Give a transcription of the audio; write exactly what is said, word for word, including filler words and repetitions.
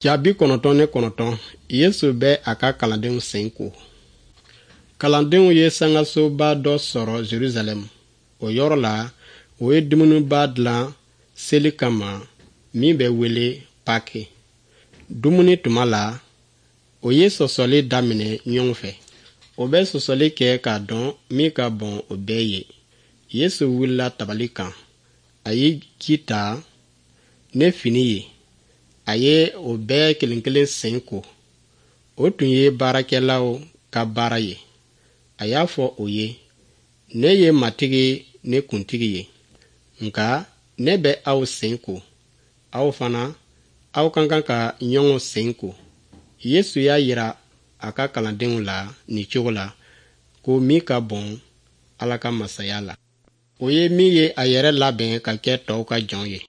Ja bi kɔnɔntɔn ni kɔnɔntɔn Yesu bɛ a ka kalandenw sen ko. Kalandenw ye sangasoba dɔ sɔrɔ Jerusalɛm. O yɔrɔ la, o ye dumuniba dilan seli kama min bɛ wele Paki. Dumuni tuma la, o ye sɔsɔli daminɛ ɲɔgɔn fɛ. O bɛ sɔsɔli kɛ k'a dɔn min ka bon o bɛɛ ye. Yesu wulila tabali kan. A ye ji ta ne fini ye. A ye o bɛɛ kelen kelen sen ko. O tun ye baarakɛlaw ka baara ye. A y'a fɔ o ye, ne ye Matigi ni Kuntigi ye. Nka ne bɛ aw sen ko. Aw fana, aw ka kan ka ɲɔgɔn sen ko. Yesu y'a yira a ka kalandenw la nin cogo la ko min ka bon Ala ka masaya la, o ye min ye a yɛrɛ labɛn ka kɛ tɔw ka jɔn ye.